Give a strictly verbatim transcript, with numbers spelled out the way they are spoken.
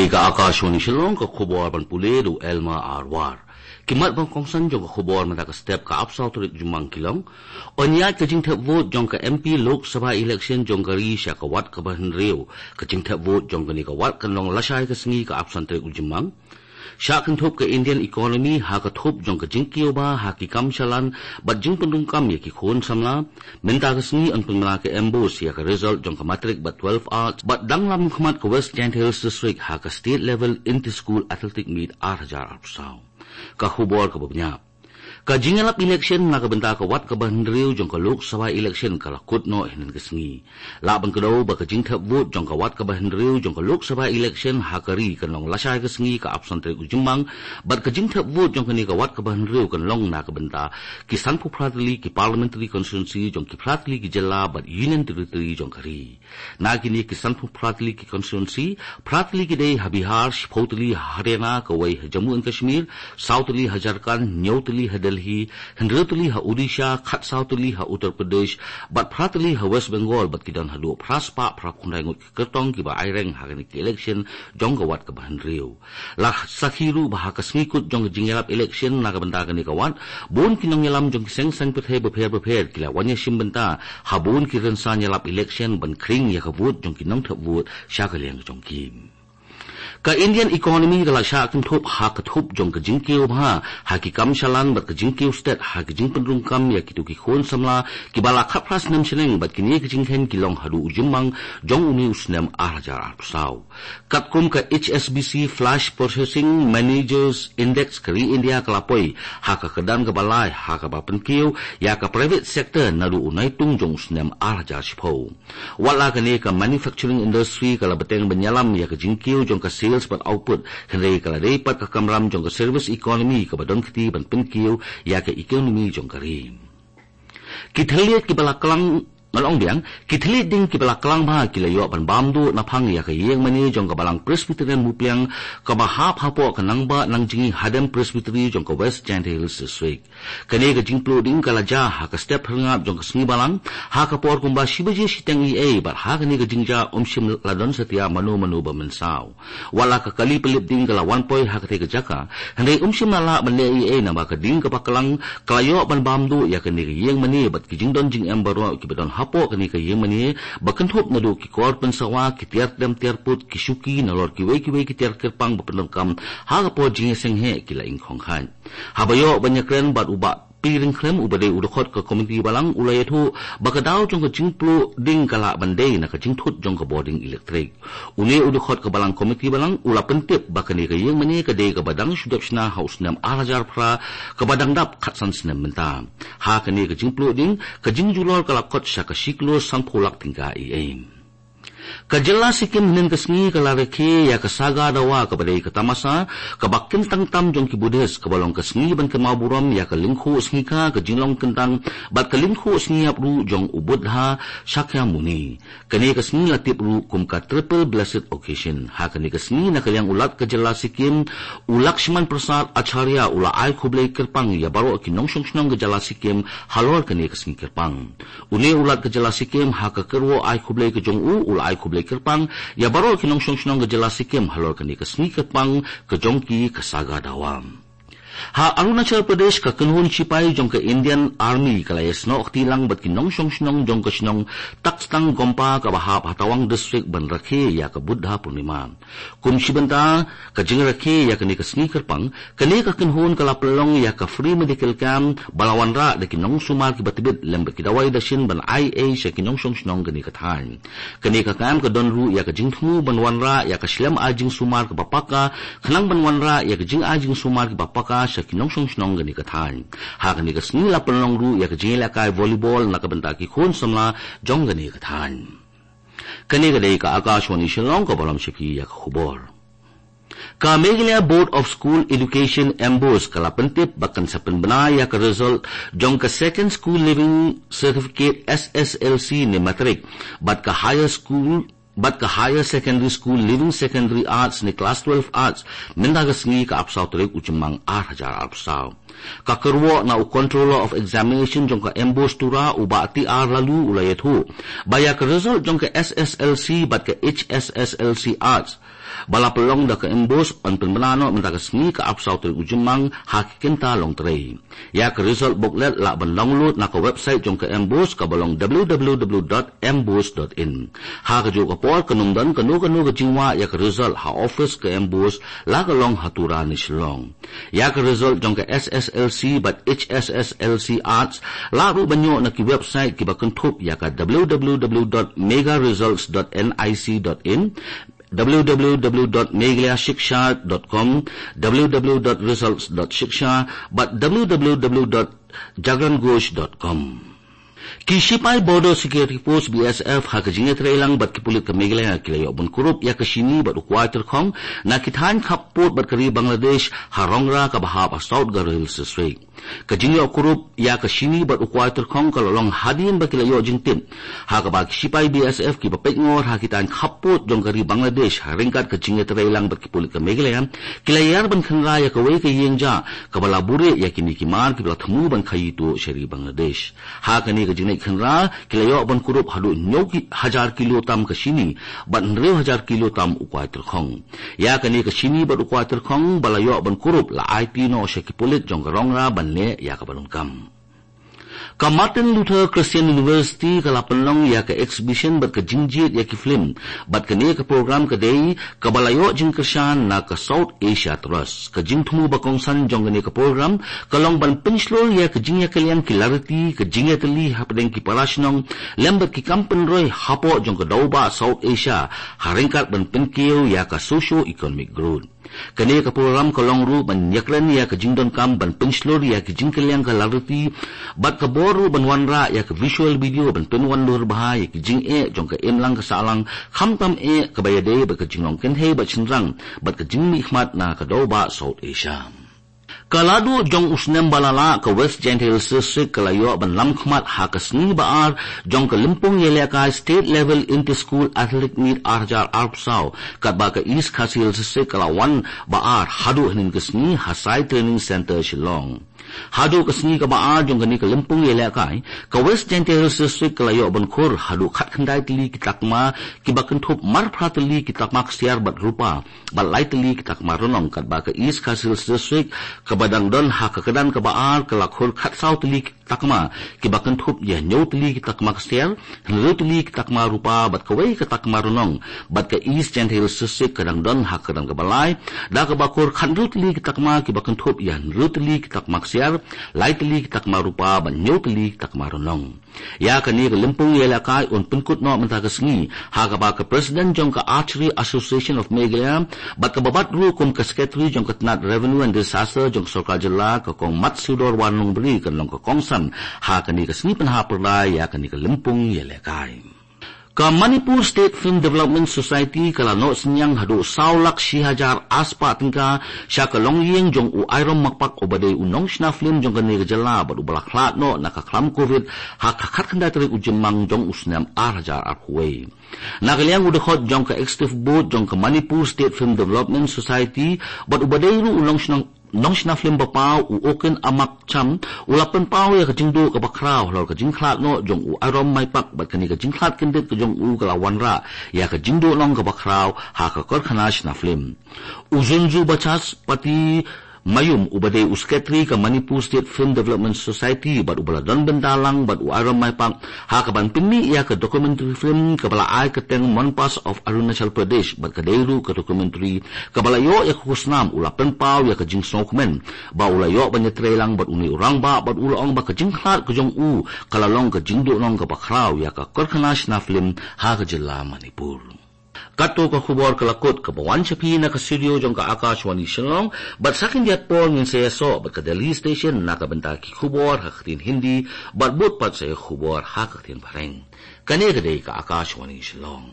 Ka Akashvani Shillong, ka khubor ban pule da u Elma Arwar. Ki mat ba kongsan jong ka khubor mynta ka step, ka arphew saw tarik Jymmang ki long: Ynñiaid ka jingthep vote jong ka M P Lok Sabha election jong ka ri sha ka wat kaba hynriew. Ka jingthep vote jong kane ka wat kan long lashai ka sngi, ka arphew san tarik u Jymmang. Shah kynthup ka Indian economy ha ka thup jong ka jingkiew bha ha ki kam shalan bad jingpynrung kam ïa ki khun samla. Mynta ka sngi yn pynbna ka MBOSE ïa ka result jong ka matric bad twelve arts, bad dang la mynkhmat ka West Jaintia Hills District ha ka state level inter school athletic meet ar hajar arphew saw. Ka khubor kaba bniah: Ka jingïalap election na ka bynta ka wat kaba hynriew jong ka Lok Sabha election ka la kut noh hynnin ka sngi. Lah ban kdew ba ka jingthep vote jong ka wat kaba hynriew jong ka Lok Sabha election ha ka ri kan long lashai ka sngi, ka arphew san tarik u Jymmang, bad ka jingthep vote jong kane ka wat kaba hynriew kan long na ka bynta ki sanphew phra tylli ki parliamentary constituency jong ki phra tylli ki jylla bad union territory jong ka ri. Na kine ki sanphew phra tylli ki constituency, phra tylli ki dei ha Bihar, shiphew tylli ha Haryana, kawei ha Jammu and Kashmir, saw tylli ha Jharkhand, hynñiew tylli ha Delhi, hynriew tylli ha Odisha, khatsaw tylli ha Uttar Pradesh, bad phra tylli ha West Bengal, bad ki don haduh phra spah phra phew khyndai ngut ki kyrtong kiba aireng ha kane ka election jong ka wat kaba hynriew. La sakhi ruh ba ha ka sngi kut jong ka jingïalap election na ka bynta kane ka wat, bun ki nongïalam jong ki seng saiñ pyrthei bapher bapher ki la wan ïashim bynta ha bun ki rynsan ïalap election ban khring ïa ka vote jong ki nongthep vote sha ka liang jong ki. Ka Indian economy ka la shah kynthup ha ka thup jong ka jingkiew bha ha ki kam shalan bad ka jingkiew stet ha ka jingpynrung kam ïa kito ki khun samla kiba la khatphra snem shaneng, bad kine ki jingkheiñ ki long haduh u Jymmang jong une u snem ar hajar arphew saw. Katkum ka H S B C Flash Purchasing Managers Index, ka ri India ka la poi ha ka kyrdan kaba lai ha kaba pynkiew ïa ka private sector naduh u Naitung jong u snem ar hajar shiphew. Wat la kane, ka manufacturing industry ka la bteng ban ïalam ïa ka jingkiew jong ka sales bad output, hynrei ka la dei pat ka kamram jong ka service economy kaba don kti ban pynkiew ïa ka economy jong ka ri. Ki thylliej kiba la klang, ngan ong biang, ki thylliej ding kiba la klang bha ki la ïoh ban bam duh naphang ïa ka ïingmane jong ka Balang Presbyterian Mupliang kaba hap hapoh ka Nangbah Nangjngi Hadem Presbytery jong ka West Jaintia Hills District. Kane ka jingpluh ding ka la jia ha ka step phyrngab jong ka sngi Balang, ha ka por kumba shi baje shiteng eiei, bad ha kane ka jingjia ym shym la don satia mano mano ba mynsaw. Wat la ka kali pynlip ding ka la wan poi ha katei ka jaka, hynrei ym shym la lah ban leh eiei namar ka ding kaba klang ka la ïoh ban bam duh ïa kane ka ïingmane bad ki jingdon jingem baroh kiba don hapoh kane ka ïingmane, ba kynthup naduh ki kor pynsawa, ki tiar tem tiar put, ki shuki, nalor kiwei kiwei ki tiar kyrpang ba pyndonkam ha ka por jingïaseng heh ki la ingkhong khat. Haba ïoh ban ïakren bad u Bah P. Ryngkhlem, uba dei u dkhot ka komiti Balang, u la ïathuh ba ka daw jong ka jingpluh ding ka lah ban dei na ka jingthut jong ka bording elektrik. Une u dkhot ka Balang, komiti Balang, u la pyntip ba kane ka ïingmane ka dei kaba dang shu dep shna ha u snem ar hajar phra, kaba dang dap khatsan snem mynta. Ha kane ka jingpluh ding, ka jingjulor ka la kot sha ka shi klur sanphew lak tyngka eiei. Ka jylla Sikkim hynnin ka sngi ka la rakhe ïa ka Saga Dawa, kaba dei ka tamasa kaba kyntang tam jong ki Buddhist, kaba long ka sngi ban kynmaw burom ïa ka lyngkhuh sngi kha, ka jinglong kyntang bad ka lyngkhuh sngi ïap ruh jong u Buddha Shakyamuni. Kane ka sngi la tip ruh kum ka Triple Blessed Occasion. Ha kane ka sngi, na ka liang u Lat ka jylla Sikkim, u Lakshman Prasad Acharya, u la ai khublei kyrpang ïa baroh ki nongshong shnong ka jylla Sikkim halor kane ka sngi kyrpang. Une u Lat ka jylla Sikkim, ha ka kyrwoh ai khublei ka jong u, u la ai khublei kyrpang ïa baroh ki nongshong shnong ka jylla Sikkim halor kane ka sngi kyrpang ka jong ki, ka Saga Dawa. Ha Arunachal Pradesh, ka kynhun shipai jong ka Indian Army ka la ïasnoh kti lang bad ki nongshong shnong jong ka shnong Taktang Gompa, kaba hap ha Tawang District, ban rakhe ïa ka Buddha Purnima. Kum shi bynta ka jingrakhe ïa kane ka sngi kyrpang, kane ka kynhun ka la pynlong ïa ka free medical camp ba la wanrah da ki nongsumar kiba tbit lem bad ki dawai dashin ban ai ei sha ki nongshong shnong kane ka thaiñ. Kane ka camp ka don ruh ïa ka jingthmu ban wanrah ïa ka shlem ai jingsumar kaba paka, khnang ban wanrah ïa ka jingai jingsumar kiba paka sha ki nongshong shnong kane ka thaiñ. Ha kane ka sngi la pynlong ruh ïa ka jingïalehkai volleyball na ka bynta ki khun samla jong kane ka thaiñ. Kane ka dei ka Akashvani Shillong, kaba lam sha phi ïa ka khubor. Ka Meghalaya Board of School Education, MBOSE, ka la pyntip ba kan sa pynbna ïa ka result jong ka Second School Leaving Certificate, SSLC ne matric, bad ka Higher School, bad ka Higher Secondary School Leaving Secondary Arts ne Class twelve Arts, mynta ka sngi, ka arphew saw tarik u Jymmang ar hajar arphew saw. Ka kyrwoh na u Controller of Examination jong ka MBOSE Tura, u Bah T R Laloo, u la ïathuh ba ïa ka result jong ka SSLC bad ka HSSLC Arts ba la pynlong da ka MBOSE, yn pynbna noh mynta ka sngi ka arphew saw tarik u Jymmang ha ki kynta longtrei. Ïa ka result booklet lah ban download na ka website jong ka MBOSE kaba long w w w dot mbose dot in. Ha kajuh ka por kan ym don kano kano ka jingwah ïa ka result ha office ka MBOSE la ka long ha Tura ne Shillong. Ïa ka result jong ka SSLC bad HSSLC Arts lah ruh ban ïoh na ki website kiba kynthup ïa ka w w w dot mega results dot nic dot in, w w w dot meghalaya shiksha dot com, w w w dot results dot shiksha bad w w w dot jagran ghosh dot com. Ki shipai Border Security Force, BSF, ha ka jingïatreilang bad ki pulit ka Meghalaya ki la ïoh ban kurup ïa ka shini bad u kwai tyrkhong na ki thaiñ khappud bad ka ri Bangladesh ha Rongra kaba hap ha South Garo Hills District. Ka jingïoh kurup ïa ka shini bad u kwai tyrkhong ka la long hadien ba ki la ïoh jingtip ha kaba ki shipai BSF kiba peit ngor ha ki thaiñ khappud jong ka ri Bangladesh ha ryngkat ka jingïatreilang bad ki pulit ka Meghalaya ki la ïar ban khynra ïa kawei ka ïing jah kaba la buhrieh ïa kine ki mar kiba la thmu ban khaii tuh sha ri Bangladesh. Ha kane ka jingleit khynra ki la ïoh ban kurup haduh hynñiew ki-, hajar kilo tam ka shini bad hynriew hajar kilo tam u kwai tyrkhong. Ïa kane ka shini bad u kwai tyrkhong ba la ïoh ban kurup la aiti noh sha ki pulit jong ka Rongra ban leh ïa kaba donkam. Ka Martin Luther Christian University ka la pynlong ïa ka exhibition bad ka jingjied ïa ki film bad kane ka program ka dei kaba la ïoh jingkyrshan na ka South Asia Trust. Ka jingthmu ba kongsan jong kane ka program ka long ban pynshlur ïa ka jingïakylliang ki lariti, ka jingïatylli hapdeng ki para shnong lem bad ki kam pynroi hapoh jong ka dewbah South Asia ha ryngkat ban pynkiew ïa ka socio-economic growth. Kane ka program ka long ruh ban ïakren ïa ka jingdonkam ban pynshlur ïa ka jingkylliang ka lariti bad ka bor ruh ban wanrah ïa ka visual video ban pynwandur bha ïa ka jingeh jong ka imlang ka sahlang, khamtam eh kaba ïadei bad ka jinglong kynthei bad shynrang bad ka jingmihkhmat na ka dewbah South Asia. Ka la duh jong u snem ba la lah, ka West Jaintia Hills District ka la ïoh ban lam khmat ha ka sngi ba ar jong ka lympung ïalehkai State Level Inter School Athletic Meet ar hajar arphew saw, katba ka East Khasi Hills District ka la wan ba ar haduh hynnin ka sngi ha Sai Training Centre Shillong. Haduh ka sngi kaba ar jong kane ka lympung ïalehkai, ka West Jaintia Hills District ka la ïoh ban khur haduh khatkhyndai tylli ki takma kiba kynthup marphra tylli ki takma ksiar bad rupa bad lai tylli ki takma rnong, katba ka East Khasi Hills District kaba dang don ha ka kyrdan kaba ar ka la khur khatsaw tylli ki takma kiba kynthup ïa hynñiew tylli ki takma ksiar, hynriew tylli ki takma rupa bad kawei ka takma rnong, bad ka East Jaintia Hills District ka dang don ha ka kyrdan kaba lai da kaba khur khathynriew tylli ki takma kiba kynthup ïa hynriew tylli ki takma ksiar, lai tylli ki takma rupa bad hynñiew tylli ki takma rnong. Ïa kane ka lympung ïalehkai yn pynkut noh mynta ka sngi ha kaba ka President jong ka Archery Association of Meghalaya bad kaba bat ruh kum ka Secretary jong ka tnat Revenue and Disaster jong ka Sorkar Jylla, ka Kong Matsudor Warnongbri, kan long ka kongsan ha kane ka sngi pynhap pyrda ïa kane ka lympung ïalehkai. Ka Manipur State Film Development Society ka la noh synñiang haduh saw lak shi hajar arspah tyngka sha ka longïing jong u Airom Maipak uba dei u nongshna film jong kane ka jylla bad uba la khlad noh na ka khlam Covid ha ka khatkhyndai tarik u Jymmang jong u snem ar hajar arphew wei. Na ka liang u dkhot jong ka Executive Board jong ka Manipur State Film Development Society bad uba dei ruh u nongshna nongshna film ba paw u Okin Amak Cham u la pynpaw ïa ka jingduh kaba khraw halor ka jingkhlad noh jong u Airom Maipak bad kane ka jingkhlad kyndit ka jong u ka la wanrah ïa ka jingduh long kaba khraw ha ka karkhana shna film. U Zunzu Bachas Pati Mayum uba dei u Secretary ka Manipur State Film Development Society bad uba la don bynta lang bad u Airom Maipak ha kaban pynmih ïa ka documentary film kaba la ai kyrteng Monpas of Arunachal Pradesh bad ka dei ruh ka documentary kaba la ïoh ïa ka khusnam u la pynpaw ïa ka jingsngewkmen ba u la ïoh ban ïatreilang bad une u rangbah bad u la ong ba ka jingkhlad ka jong u ka la long ka jingduh long kaba khraw ïa ka karkhana shna film ha ka jylla Manipur. Kato ka khubor ka la kut kaba wan sha phi na ka studio jong ka Akashvani Shillong, bad sa khyndiat por ngin sa ïasoh bad ka Delhi Station na ka bynta ki khubor ha ka ktien Hindi bad bud pat sa ïa khubor ha ka ktien Phareng. Kane ka dei ka Akashvani Shillong.